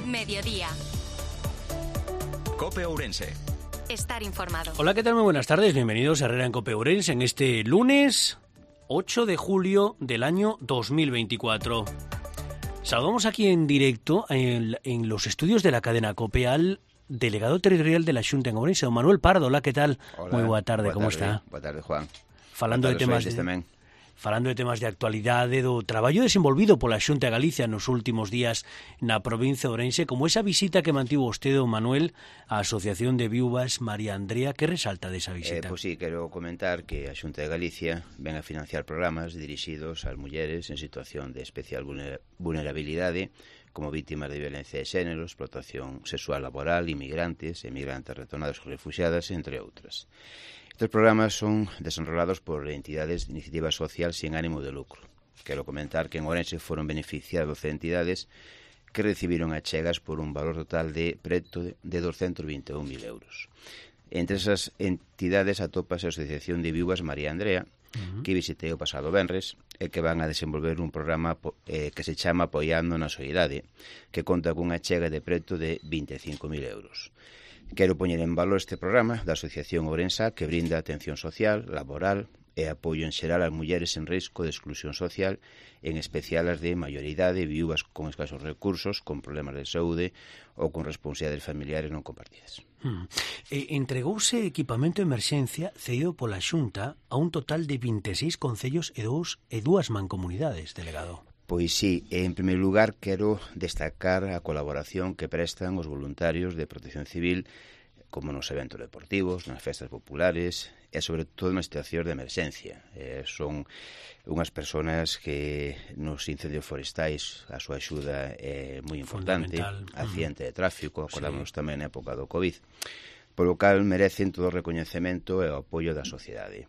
Mediodía. COPE Ourense. Estar informado. Hola, ¿qué tal? Muy buenas tardes. Bienvenidos a Herrera en COPE Ourense en este lunes 8 de julio del año 2024. Saludamos aquí en directo en los estudios de la cadena COPE al delegado territorial de la Xunta en Ourense, don Manuel Pardo. Hola, ¿qué tal? Hola, muy boa tarde, como está? Boa tarde, Juan. Falando de temas de actualidade, do traballo desenvolvido pola Xunta de Galicia nos últimos días na provincia de Ourense, como esa visita que mantivo vostede, don Manuel, á Asociación de Viúvas María Andrea. Que resalta desa visita? Pois sí, quero comentar que a Xunta de Galicia ven a financiar programas dirixidos ás mulleres en situación de especial vulnerabilidade, como vítimas de violencia de xénero, explotación sexual laboral, inmigrantes, emigrantes retornados ou refugiadas, entre outras. Estos programas son desenrolados por entidades de iniciativa social sin ánimo de lucro. Quero comentar que en Ourense foron beneficiadas 12 entidades que recibiron achegas por un valor total de preto de 221.000 euros. Entre esas entidades atópase a Asociación de Viúvas María Andrea, que visitei o pasado venres, e que van a desenvolver un programa que se chama Apoiando na Soidade, que conta cunha achega de preto de 25.000 euros. Quero poñer en valor este programa da Asociación Ourensa, que brinda atención social, laboral e apoio en xeral ás mulleres en risco de exclusión social, en especial as de maioridade, viúvas con escasos recursos, con problemas de saúde ou con responsabilidades familiares non compartidas. Entregouse equipamento de emerxencia cedido pola Xunta a un total de 26 concellos e dúas mancomunidades, delegado. Pois sí, en primeiro lugar quero destacar a colaboración que prestan os voluntarios de Protección Civil, como nos eventos deportivos, nas festas populares e sobre todo nas situacións de emerxencia. Son unhas persoas que nos incendios forestais a súa axuda é moi importante, accidente de tráfico, acordamos tamén na época do COVID, polo cal merecen todo o recoñecemento e o apoio da sociedade.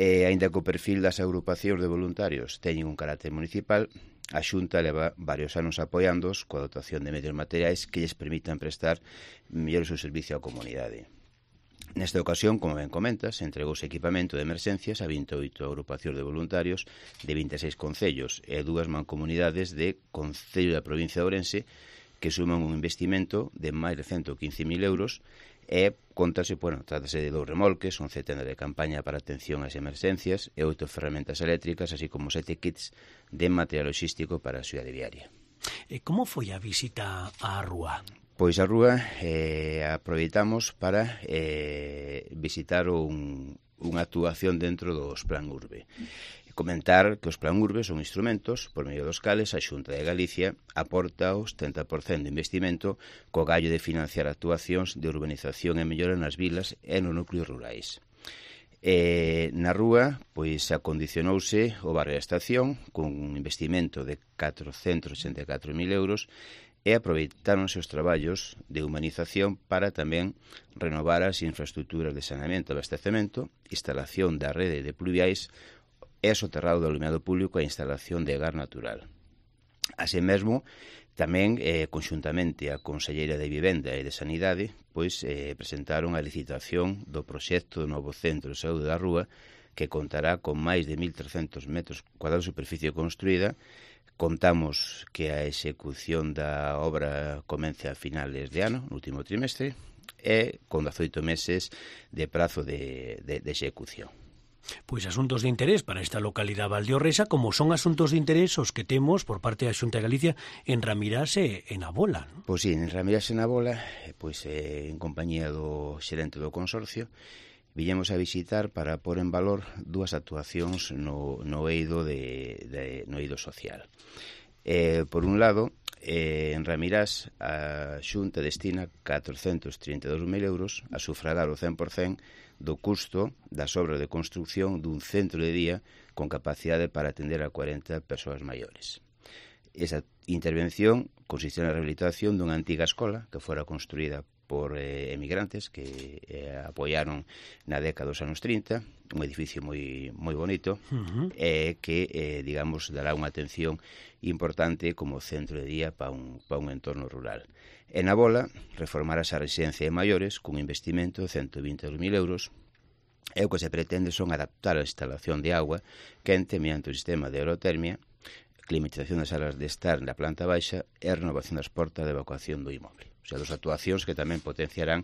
Aínda que o perfil das agrupacións de voluntarios teñen un carácter municipal, a Xunta leva varios anos apoiándoos coa dotación de medios materiais que lles permitan prestar mellor o seu servicio á comunidade. Nesta ocasión, como ben comentas, entregouse equipamento de emerxencias a 28 agrupacións de voluntarios de 26 concellos e dúas mancomunidades de Concello da provincia de Ourense que suman un investimento de máis de 115.000 euros e trátase de 2 remolques, 11 tendas de campaña para atención ás emerxencias e 8 ferramentas eléctricas, así como 7 kits de material logístico para a axuda diaria. Como foi a visita á rúa? Pois a rúa aproveitamos para visitar unha actuación dentro dos Plan Urbe. Comentar que os Plan Urbe son instrumentos por medio dos cales a Xunta de Galicia aporta o 70% de investimento co gallo de financiar actuacións de urbanización e mellora nas vilas e nos núcleos rurais. Na rúa, pois acondicionouse o barrio da Estación con un investimento de 484.000 euros e aproveitáronse os traballos de humanización para tamén renovar as infraestructuras de saneamento e abastecemento, instalación da rede de pluviais e soterrado do alumiado público e a instalación de gas natural. Así mesmo, tamén, conxuntamente a Conselleira de Vivenda e de Sanidade, pois presentaron a licitación do proxecto do novo Centro de Saúde da Rúa, que contará con máis de 1.300 metros cuadrados de superficie construída. Contamos que a execución da obra comece a finales de ano, no último trimestre, e con 18 meses de prazo de execución. Pois asuntos de interés para esta localidade valdeorresa, como son asuntos de interés os que temos por parte da Xunta de Galicia en Ramirás e en Abola, non? Pois sí, en Ramirás e en Abola, pois en compañía do xerente do consorcio, viñemos a visitar para pôr en valor dúas actuacións no eido social. Por un lado, en Ramirás, a Xunta destina 432.000 euros a sufragar o 100% do custo das obras de construcción dun centro de día con capacidade para atender a 40 persoas maiores. Esa intervención consiste na rehabilitación dunha antiga escola que fora construída por emigrantes que apoiaron na década dos anos 30, un edificio moi bonito, que, digamos, dará unha atención importante como centro de día para un entorno rural. En Abola, reformarase a residencia de maiores cun investimento de 122.000 euros e o que se pretende son adaptar a instalación de agua quente mediante o sistema de aerotermia climatización das salas de estar na planta baixa e renovación das portas de evacuación do inmoble. O sea, dos actuacións que tamén potenciarán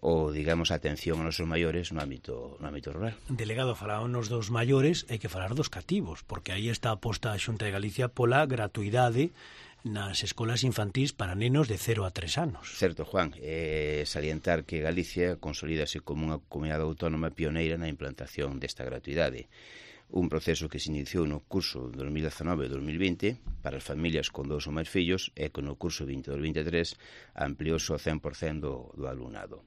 o, digamos, a atención aos nosos maiores no ámbito rural. Delegado, falábamos dos maiores, hai que falar dos cativos, porque aí está aposta a Xunta de Galicia pola gratuidade nas escolas infantís para nenos de 0 a 3 anos. Certo, Juan, salientar que Galicia consolídase como unha comunidade autónoma pioneira na implantación desta gratuidade. Un proceso que se iniciou no curso 2019-2020 para as familias con 2 ou máis fillos e que no curso 22-23 ampliouse ao 100% do alumnado.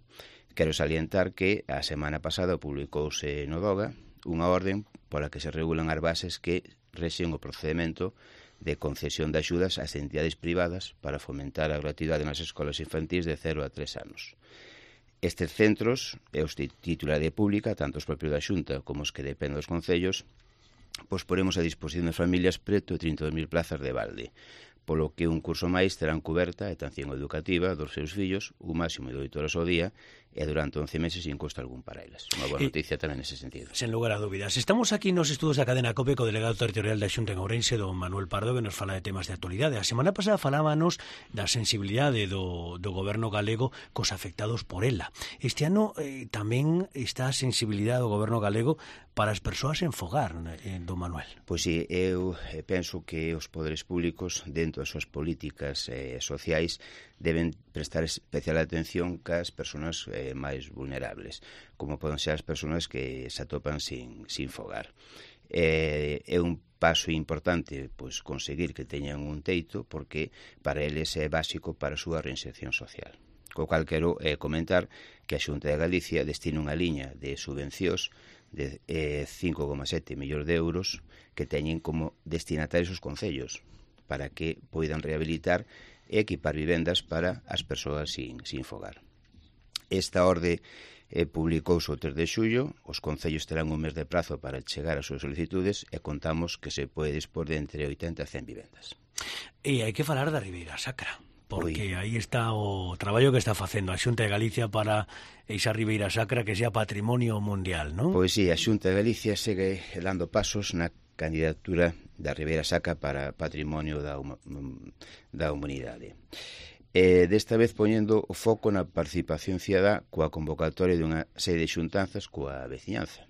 Quero salientar que a semana pasada publicouse no DOGA unha orden pola que se regulan as bases que rexen o procedimento de concesión de axudas ás entidades privadas para fomentar a gratuidade nas escolas infantís de 0 a 3 anos. Estes centros, e os de titularidade pública, tanto os propios da Xunta como os que dependen dos concellos, pois poremos a disposición das familias preto de 32.000 plazas de balde, polo que un curso máis terán coberta a atención educativa dos seus fillos un máximo de 8 horas ao día e durante 11 meses sin costo algún para elas. Unha boa noticia tamén nese sentido. Sen lugar a dúbidas. Estamos aquí nos estudos da cadena COPE co delegado territorial da Xunta en Ourense, don Manuel Pardo, que nos fala de temas de actualidade. A semana pasada falábanos da sensibilidade do goberno galego cos afectados por ela. Este ano tamén está a sensibilidade do goberno galego para as persoas en fogar, don Manuel. Pois sí, eu penso que os poderes públicos, dentro das súas políticas sociais, deben prestar especial atención cas persoas máis vulnerables, como poden ser as persoas que se atopan sin fogar. É un paso importante pois conseguir que teñan un teito, porque para eles é básico para a súa reinserción social. Co cal quero comentar que a Xunta de Galicia destina unha liña de subvencións de 5,7 millóns de euros que teñen como destinatarios os concellos para que poidan rehabilitar e equipar vivendas para as persoas sin fogar. Esta orde publicouse o 3 de xullo, os concellos terán un mes de prazo para chegar as súas solicitudes e contamos que se pode dispor de entre 80 e 100 vivendas. E hai que falar da Ribeira Sacra, porque aí está o traballo que está facendo a Xunta de Galicia para esa Ribeira Sacra que sea patrimonio mundial, non? Pois sí, a Xunta de Galicia segue dando pasos na candidatura da Ribeira Sacra para patrimonio da humanidade. Desta vez poñendo o foco na participación cidadá coa convocatoria dunha serie de xuntanzas coa veciñanza.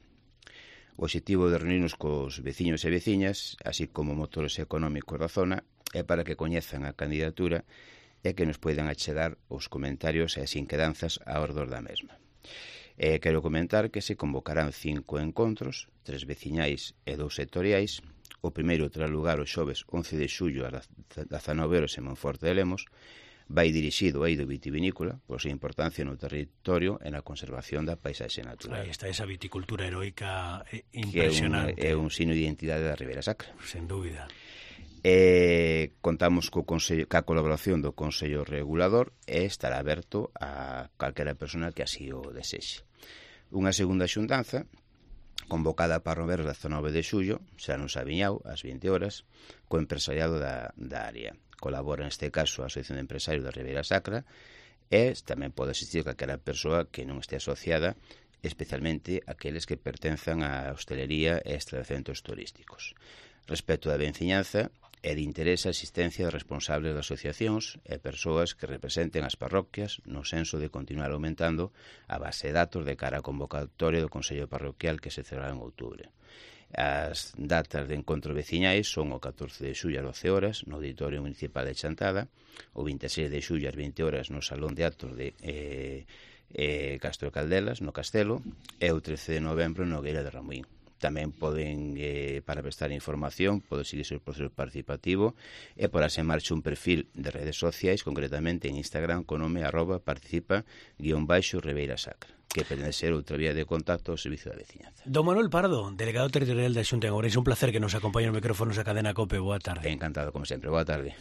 O obxectivo de reunirnos cos veciños e veciñas, así como motores económicos da zona, é para que coñezan a candidatura e que nos poidan achegar os comentarios e as inquedanzas a ordor da mesma. Quero comentar que se convocarán 5 encontros, 3 veciñais e 2 sectoriais. O primeiro terá lugar o xoves 11 de xullo ás 19 horas en Monforte de Lemos. Vai dirixido ao eido vitivinícola por súa importancia no territorio e na conservación da paisaxe natural. Aí está esa viticultura heroica impresionante. Que é un signo de identidade da Ribeira Sacra. Sen dúbida. Contamos ca colaboración do Consello Regulador e estará aberto a calquera persona que así o desexe. Unha segunda xuntanza convocada para o venres 19 de xullo, será no Sabiñao, ás 20 horas, co empresariado da área. Colabora neste caso a Asociación de Empresarios da Ribeira Sacra e tamén pode asistir calquera persoa que non este asociada, especialmente aqueles que pertenzan á hostelería e establecentos turísticos. Respecto da veciñanza, é de interés a asistencia de responsables de asociacións e persoas que representen as parroquias no senso de continuar aumentando a base de datos de cara á convocatoria do Consello Parroquial que se celebrará en outubro. As datas de encontro veciñais son o 14 de xullo ás 12 horas no Auditorio Municipal de Chantada, o 26 de xullo ás 20 horas no Salón de Actos de Castro Caldelas, no Castelo, e o 13 de novembro no Nogueira de Ramuín. Tamén poden, para prestar información, poden seguirse o proceso participativo e porase en marcha un perfil de redes sociais, concretamente en Instagram, con nome @participa_Ribeira Sacra, que pretende ser outra vía de contacto ao servicio da veciñanza. Don Manuel Pardo, delegado territorial da Xunta en Ourense, un placer que nos acompañe nos micrófonos da cadena COPE. Boa tarde. Encantado, como sempre. Boa tarde.